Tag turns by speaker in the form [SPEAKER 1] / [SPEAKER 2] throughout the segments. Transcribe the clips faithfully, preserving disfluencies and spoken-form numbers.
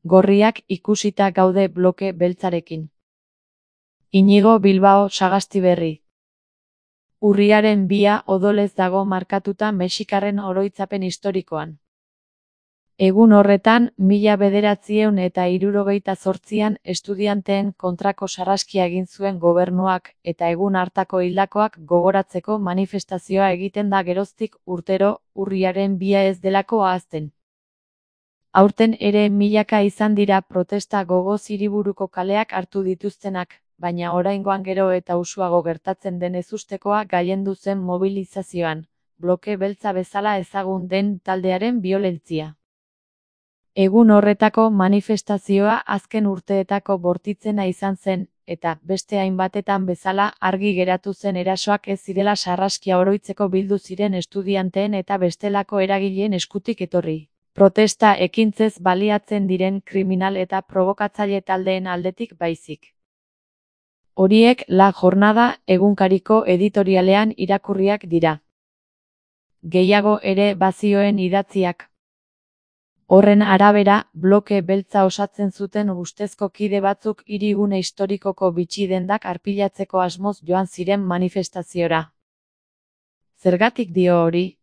[SPEAKER 1] Gorriak ikusita gaude bloke beltzarekin. Inigo Bilbao Sagastiberri. Urriaren bia odolez dago markatuta mexikarren oroitzapen historikoan. Egun horretan, mila bederatziehun eta hirurogeita zortzian estudianteen kontrako sarraskia egin zuen gobernuak eta egun hartako hildakoak gogoratzeko manifestazioa egiten da geroztik urtero, urriaren bia ez delako ahazten. Aurten ere milaka izan dira protesta gogoz hiriburuko kaleak hartu dituztenak, baina oraingoan gero eta usuago gertatzen den ezustekoa gailendu zen mobilizazioan, bloke beltza bezala ezagun den taldearen biolentzia. Egun horretako manifestazioa azken urteetako bortitzena izan zen, eta beste hainbatetan bezala argi geratu zen erasoak ez zirela sarraskia oroitzeko bildu ziren estudianteen eta bestelako eragileen eskutik etorri. Protesta ekintzez baliatzen diren kriminal eta provokatzaile taldeen aldetik baizik. Horiek La Jornada egunkariko editorialean irakurriak dira. Gehiago ere bazioen idatziak. Horren arabera, bloke beltza osatzen zuten ustezko kide batzuk hirigune historikoko bitxi-dendak arpilatzeko asmoz joan ziren manifestaziora. Zergatik dio hori?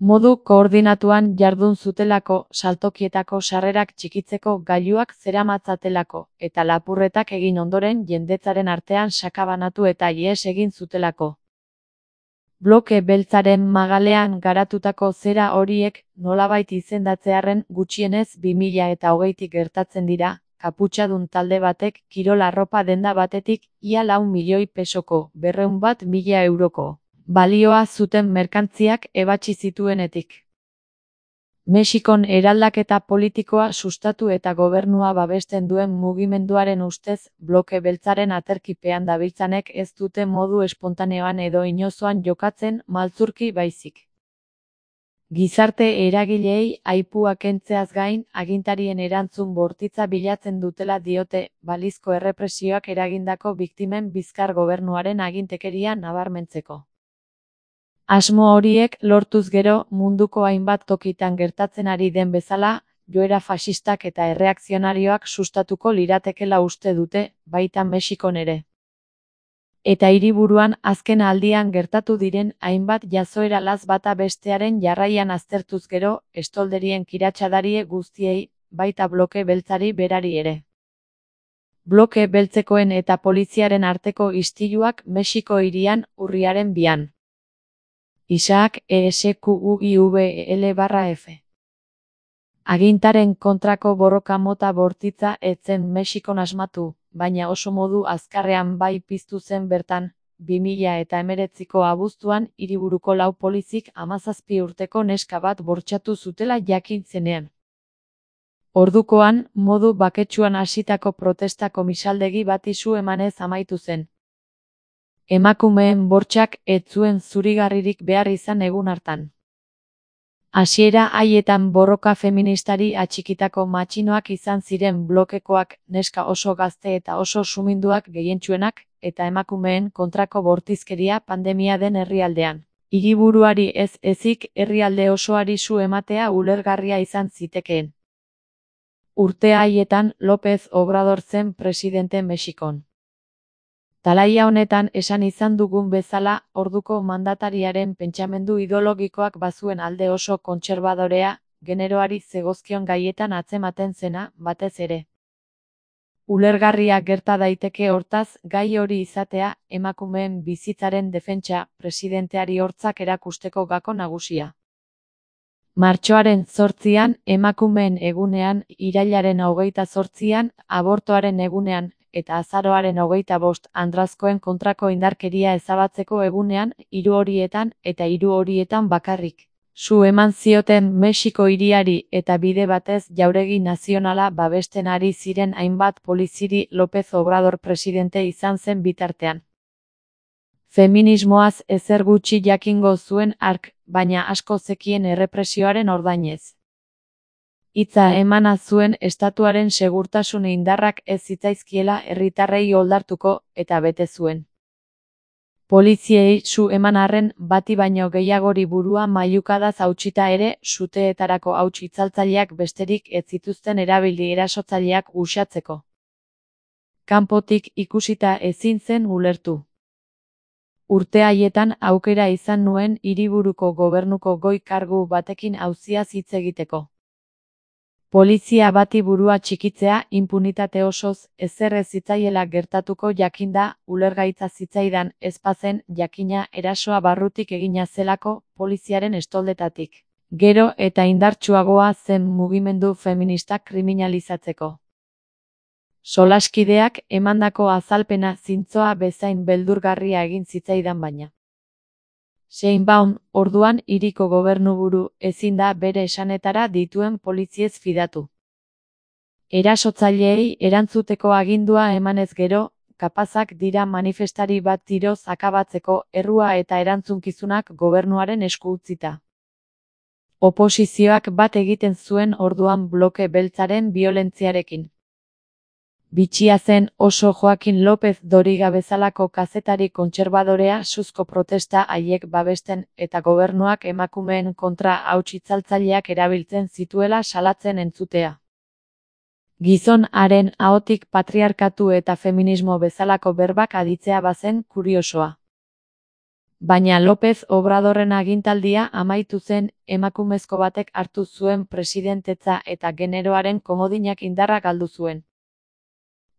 [SPEAKER 1] Modu koordinatuan jardun zutelako, saltokietako sarrerak txikitzeko gailuak zeramatzatelako, eta lapurretak egin ondoren jendetzaren artean sakabanatu eta ihes egin zutelako. Bloke beltzaren magalean garatutako zera horiek, nolabait izendatzearren gutxienez bi mila eta hogeitik gertatzen dira, kaputxadun talde batek kirol arropa denda batetik ia lau milioi pesoko, berrehun bat mila euroko, balioa zuten merkantziak ebatsi zituenetik. Mexikon eraldaketa politikoa sustatu eta gobernua babesten duen mugimenduaren ustez, bloke beltzaren aterkipean dabiltzanek ez dute modu espontaneoan edo inozoan jokatzen maltzurki baizik. Gizarte eragileei aipua kentzeaz gain, agintarien erantzun bortitza bilatzen dutela diote, balizko errepresioak eragindako biktimen bizkar gobernuaren agintekeria nabarmentzeko. Asmo horiek lortuz gero, munduko hainbat tokitan gertatzen ari den bezala, joera faxistak eta erreakzionarioak sustatuko liratekela uste dute, baita Mexikon ere. Eta hiriburuan azken aldian gertatu diren hainbat jazoera laz bata bestearen jarraian aztertuz gero, estolderien kiratxadarie guztiei, baita bloke beltzari berari ere. Bloke beltzekoen eta poliziaren arteko istiluak Mexiko hirian urriaren bian. Isaac E S Q U I V L barra F. Agintaren kontrako borroka mota bortitza ez zen Mexikon asmatu, baina oso modu azkarrean bai piztu zen bertan, bi mila eta hemeretziko abuztuan hiriburuko lau polizik hamazazpi urteko neska bat bortxatu zutela jakin zenean. Ordukoan, modu baketsuan hasitako protesta komisaldegi bati su emanez amaitu zen. Emakumeen bortxak ez zuen zurigarririk behar izan egun hartan. Hasiera haietan borroka feministari atxikitako matxinoak izan ziren blokekoak, neska oso gazte eta oso suminduak gehientsuenak, eta emakumeen kontrako bortizkeria pandemia den herrialdean. Hiriburuari ez ezik herrialde osoari su ematea ulergarria izan zitekeen. Urte haietan López Obrador zen presidente Mexikon. Talaia honetan esan izan dugun bezala, orduko mandatariaren pentsamendu ideologikoak bazuen alde oso kontserbadorea, generoari zegozkion gaietan atzematen zena, batez ere. Ulergarria gerta daiteke hortaz, gai hori izatea, emakumeen bizitzaren defentsa, presidenteari hortzak erakusteko gako nagusia. Martxoaren zortzian, emakumeen egunean, irailaren hogeita zortzian, abortoaren egunean, eta azaroaren hogeita bost andrazkoen kontrako indarkeria ezabatzeko egunean, hiru horietan eta hiru horietan bakarrik. Su eman zioten Mexiko hiriari eta bide batez jauregi nazionala babesten ari ziren hainbat poliziri López Obrador presidente izan zen bitartean. Feminismoaz ezer gutxi jakingo zuen hark, baina asko zekien errepresioaren ordainez. Hitza emana zuen estatuaren segurtasun indarrak ez zitzaizkiela herritarrei oldartuko, eta bete zuen. Poliziei su eman arren bati baino gehiagori burua mailukadaz hautsita ere suteetarako hauts itzaltzaileak besterik ez zituzten erabili erasotzaileak uxatzeko. Kanpotik ikusita ezin zen ulertu. Urte haietan aukera izan nuen hiriburuko gobernuko goi kargu batekin auziaz hitz egiteko. Polizia bati burua txikitzea inpunitate osoz ezer ez zitzaiela gertatuko jakinda ulergaitza zitzaidan ez bazen jakina erasoa barrutik egina zelako poliziaren estoldetatik. Gero eta indartsuagoa zen mugimendu feministak kriminalizatzeko. Solaskideak emandako azalpena zintzoa bezain beldurgarria egin zitzaidan baina. Sheinbaum, orduan hiriko gobernuburu, ezin da bere esanetara dituen poliziez fidatu. Erasotzaileei erantzuteko agindua emanez gero, kapazak dira manifestari bat tiroz akabatzeko errua eta erantzunkizunak gobernuaren esku utzita. Oposizioak bat egiten zuen orduan bloke beltzaren biolentziarekin. Bitxia zen oso Joaquin López Doriga bezalako kazetari kontserbadorea suzko protesta haiek babesten eta gobernuak emakumeen kontra hauts itzaltzaileak erabiltzen zituela salatzen entzutea. Gizon haren ahotik patriarkatu eta feminismo bezalako berbak aditzea bazen kuriosoa. Baina López Obradorren agintaldia amaitu zen emakumezko batek hartu zuen presidentetza eta generoaren komodinak indarra galdu zuen.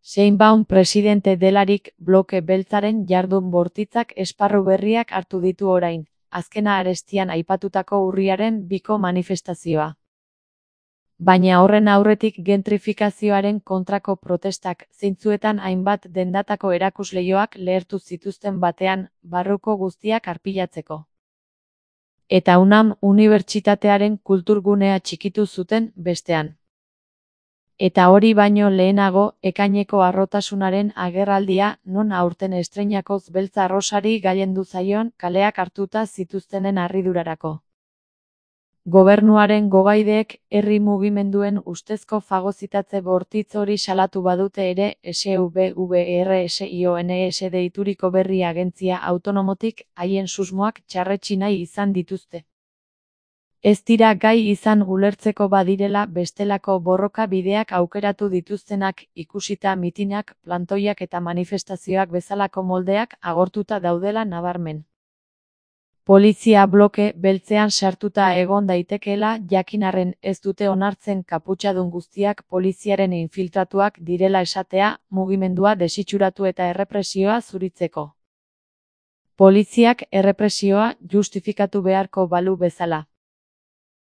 [SPEAKER 1] Sheinbaum presidente delarik bloke beltzaren jardun bortitzak esparru berriak hartu ditu orain, azkena arestian aipatutako urriaren biko manifestazioa. Baina horren aurretik gentrifikazioaren kontrako protestak zeintzuetan hainbat dendatako erakusleihoak lehertu zituzten batean, barruko guztiak arpilatzeko. Eta UNAM unibertsitatearen kulturgunea txikitu zuten bestean. Eta hori baino lehenago, ekaineko harrotasunaren agerraldia, non aurten estreinakoz beltza rosari gailendu zaion kaleak hartuta zituztenen harridurarako. Gobernuaren gogaideek herri mugimenduen ustezko fagozitatze bortitz hori salatu badute ere S V V R S I O N S deituriko berri agentzia autonomotik haien susmoak txarretsi nahi izan dituzte. Ez dira gai izan ulertzeko badirela bestelako borroka bideak aukeratu dituztenak ikusita mitinak, plantoiak eta manifestazioak bezalako moldeak agortuta daudela nabarmen. Polizia bloke beltzean sartuta egon daitekeela jakinarren ez dute onartzen kaputxadun guztiak poliziaren infiltratuak direla esatea mugimendua desitxuratu eta errepresioa zuritzeko. Poliziak errepresioa justifikatu beharko balu bezala.